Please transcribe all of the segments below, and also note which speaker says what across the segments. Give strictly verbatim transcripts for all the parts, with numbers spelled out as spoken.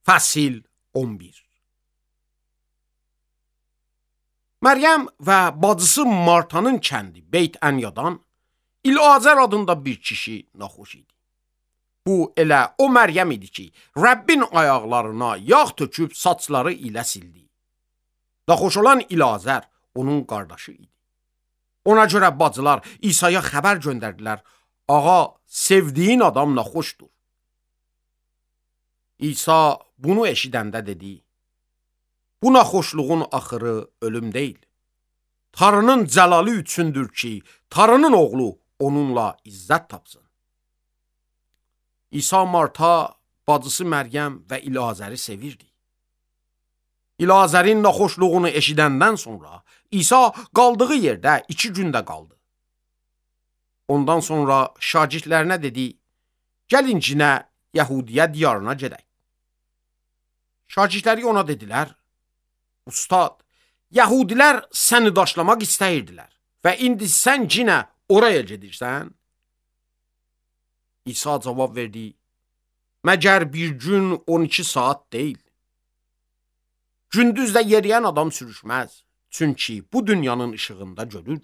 Speaker 1: Fəsil on bir. Məryəm və bacısı Martanın kəndi Beyt Ənyadan İlazər adında bir kişi naxoş idi. Bu elə o Məryəm idi ki, Rəbbin ayaqlarına yağ töküb saçları ilə sildi. Naxoş olan İlazər onun qardaşı idi. Ona görə bacılar İsa'ya xəbər göndərdilər: "Ağa, sevdiyin adam naxoşdur." İsa bunu eşidəndə dedi: "Bu naxoşluğun axırı ölüm deyil. Tanrının cəlalı üçündür ki, Tanrının oğlu onunla izzət tapsın." İsa Marta, bacısı Məryəm və İlazəri sevirdi. İlazərin naxoşluğunu eşidəndən sonra İsa qaldığı yerdə iki gündə qaldı. Ondan sonra şagirdlərinə dedi: "Gəlin cinə Yahudiyə diyarına gedək." Şagirdləri ona dedilər: "Ustad, Yahudilər səni daşlamaq istəyirdilər və indi sən cinə oraya gedirsən?" İsa cavab verdi: "Məgər bir gün on iki saat deyil? Gündüzdə yeriyən adam sürüşməz, çünki bu dünyanın işığında görür.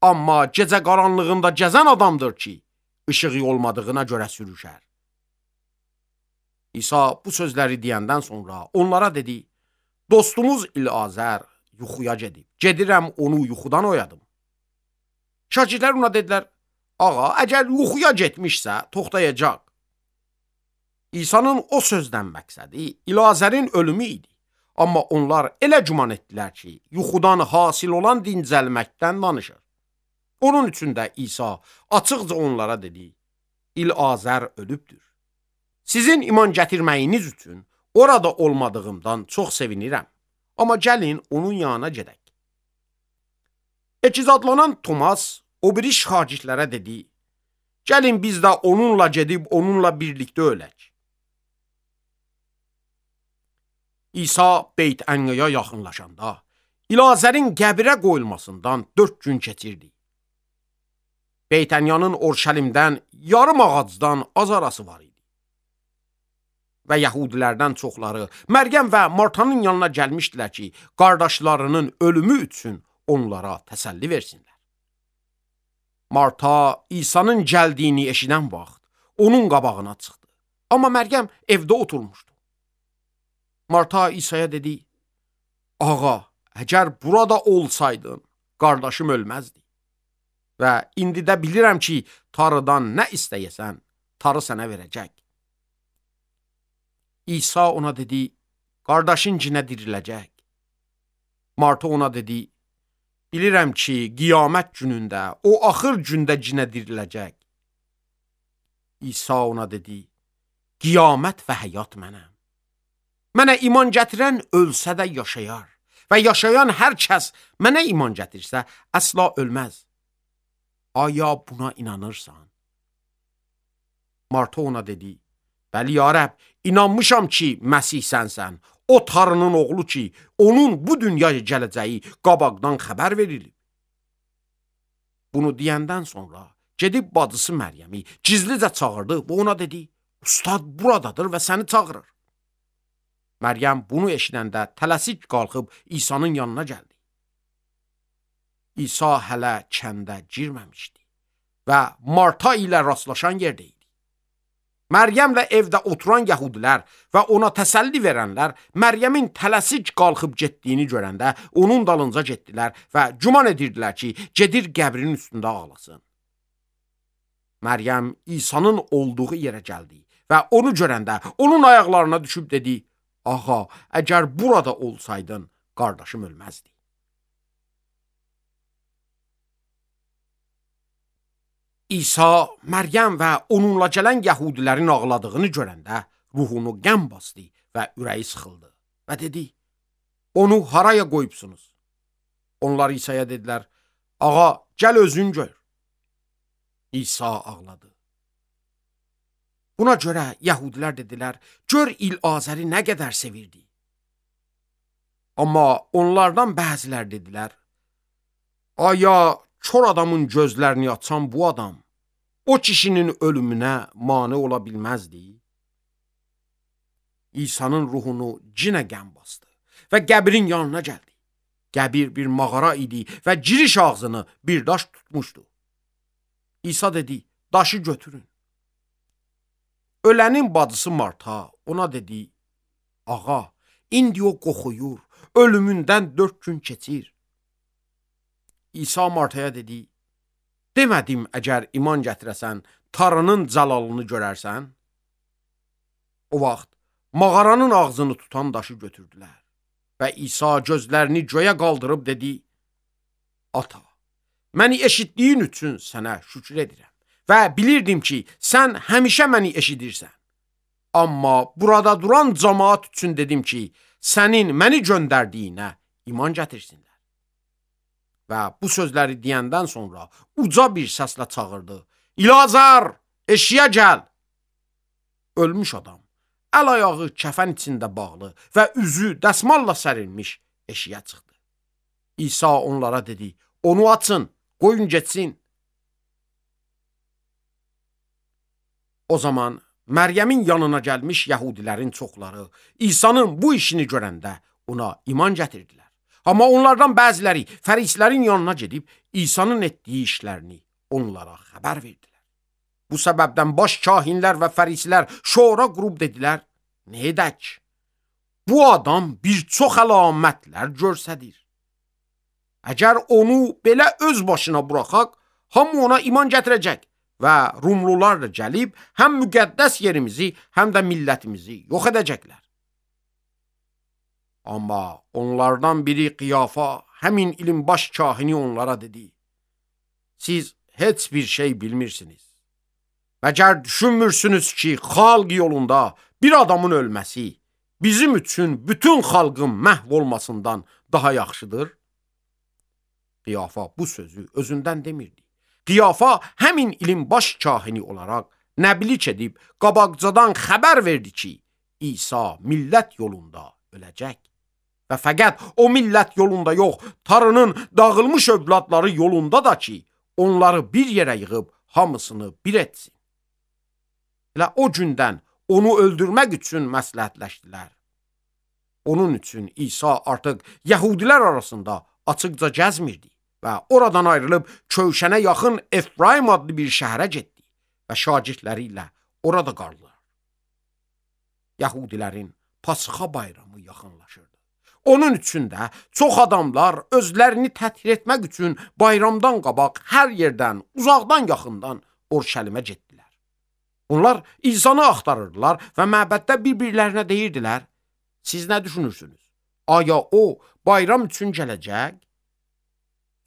Speaker 1: Amma gecə qaranlığında gəzən adamdır ki, işığı olmadığına görə sürüşər." İsa bu sözləri deyəndən sonra onlara dedi: "Dostumuz İlazər yuxuya gedib. Gedirəm onu yuxudan oyadım." Şagirdlər ona dedilər: "Ağa, əgər yuxuya getmişsə, toxtayacaq." İsa'nın o sözdən məqsədi İlazərin ölümü idi. Amma onlar elə güman etdilər ki, yuxudan hasil olan dincəlməkdən danışır. Onun üçün də İsa açıqca onlara dedi: "İlazər ölübdür. Sizin iman gətirməyiniz üçün orada olmadığımdan çox sevinirəm. Amma gəlin onun yanına gedək." Ekizadlanan Tomas o biri şagirdlərə dedi: "Gəlin biz də onunla gedib onunla birlikdə ölək." İsa Beyt Ənyaya yaxınlaşanda İlazərin qəbrə qoyulmasından dörd gün keçirdi. Beyt Ənyanın Orşəlimdən yarım ağacdan az arası var idi. Və Yahudilərdən çoxları Məryəm və Martanın yanına gəlmişdilər ki, qardaşlarının ölümü üçün onlara təsəlli versinlər. Marta İsa'nın gəldiyini eşidən vaxt onun qabağına çıxdı. Amma Məryəm evdə oturmuşdu. Marta İsa'ya dedi: "Ağa, əgər burada olsaydın, qardaşım ölməzdi. Və indi də bilirəm ki, Tanrıdan nə istəyəsən, Tanrı sənə verəcək." İsa ona dedi: "Qardaşın cinə diriləcək." Marta ona dedi: "Bilirəm ki, qiyamət günündə, o axır gündə cinə diriləcək." İsa ona dedi: "Qiyamət və həyat mənəm. Mənə iman gətirən ölsə də yaşayar və yaşayan hər kəs mənə iman gətirsə əsla ölməz. Aya buna inanırsan?" Marta ona dedi: "Bəli ya Rəbb, inanmışam ki, Məsih sənsən, o Tanrının oğlu ki, onun bu dünyaya gələcəyi qabaqdan xəbər verilib." Bunu deyəndən sonra gedib bacısı Məryəmi gizlicə çağırdı və ona dedi: "Ustad buradadır və səni çağırır." Məryəm bunu eşidəndə tələsik qalxıb İsa'nın yanına gəldi. İsa hələ kəndə girməmişdi və Marta ilə rastlaşan yerdə idi. Məryəmlə evdə oturan Yahudilər və ona təsəlli verənlər Məryəmin tələsik qalxıb getdiyini görəndə onun dalınca getdilər və güman edirdilər ki, gedir qəbrin üstündə ağlasın. Məryəm İsa'nın olduğu yerə gəldi və onu görəndə onun ayaqlarına düşüb dedi: "Ağa, əgər burada olsaydın, qardaşım ölməzdi." İsa Məryəm və onunla gələn Yahudilərin ağladığını görəndə ruhunu qəm basdı və ürəyi sıxıldı və dedi: "Onu haraya qoyubsunuz?" Onlar İsa'ya dedilər: "Ağa, gəl özün gör." İsa ağladı. Buna görə Yahudilər dedilər: "Gör İlazəri nə qədər sevirdi." Amma onlardan bəzilər dedilər: "Aya kör adamın gözlərini açan bu adam, o kişinin ölümünə mane ola bilməzdi?" İsa'nın ruhunu cinə qəm bastı və qəbrin yanına gəldi. Qəbir bir mağara idi və giriş ağzını bir daş tutmuşdu. İsa dedi, daşı götürün. Ölənin bacısı Marta ona dedi, ağa, indi o qoxuyur, ölümündən dörd gün keçir. İsa Martaya dedi, demədim əgər iman gətirəsən, Tanrının cəlalını görərsən? O vaxt mağaranın ağzını tutan daşı götürdülər və İsa gözlərini göyə qaldırıb dedi, ata, məni eşitdiyin üçün sənə şükür edirəm və bilirdim ki, sən həmişə məni eşidirsən. Amma burada duran cəmaat üçün dedim ki, sənin məni göndərdiyinə iman gətirsinlər. Və bu sözləri deyəndən sonra uca bir səslə çağırdı, İlazar, eşiyə gəl! Ölmüş adam, əl-ayağı kəfən içində bağlı və üzü dəsmalla sərilmiş eşiyə çıxdı. İsa onlara dedi, onu açın, qoyun getsin. O zaman Məryəmin yanına gəlmiş yəhudilərin çoxları İsa'nın bu işini görəndə ona iman gətirdilər. Amma onlardan bəziləri fərislərin yanına gedib İsa'nın etdiyi işlərini onlara xəbər verdilər. Bu səbəbdən baş kahinlər və fərislər şora qurub dedilər, nə edək? Bu adam bir çox əlamətlər görsədir. Əgər onu belə öz başına buraxaq, hamı ona iman gətirəcək və Rumlular da gəlib həm müqəddəs yerimizi, həm də millətimizi yox edəcəklər. Amma onlardan biri Qiyafa, həmin ilin baş kahini onlara dedi, siz heç bir şey bilmirsiniz. Məgər düşünmürsünüz ki, xalq yolunda bir adamın ölməsi bizim üçün bütün xalqın məhv olmasından daha yaxşıdır? Qiyafa bu sözü özündən demirdi. Qiyafa həmin ilin baş kahini olaraq nəbilik edib qabaqcadan xəbər verdi ki, İsa millət yolunda öləcək. Və fəqət o millət yolunda yox, Tanrının dağılmış övladları yolunda da ki, onları bir yerə yığıb hamısını bir etsin. Elə o gündən onu öldürmək üçün məsləhətləşdilər. Onun üçün İsa artıq yəhudilər arasında açıqca gəzmirdi və oradan ayrılıb Kövşənə yaxın Efraim adlı bir şəhərə getdi və şagirdləri ilə orada qaldılar. Yəhudilərin Pasxa bayramı yaxınlaşırdı. Onun üçün də çox adamlar özlərini təthir etmək üçün bayramdan qabaq hər yerdən, uzaqdan, yaxından Orşəlimə getdilər. Onlar İsa'nı axtarırdılar və məbəddə bir-birlərinə deyirdilər, siz nə düşünürsünüz? Aya o bayram üçün gələcək?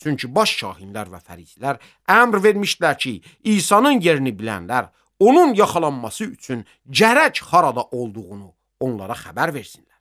Speaker 1: Çünki baş kahinlər və fərisilər əmr vermişdilər ki, İsa'nın yerini bilənlər onun yaxalanması üçün gərək harada olduğunu onlara xəbər versinlər.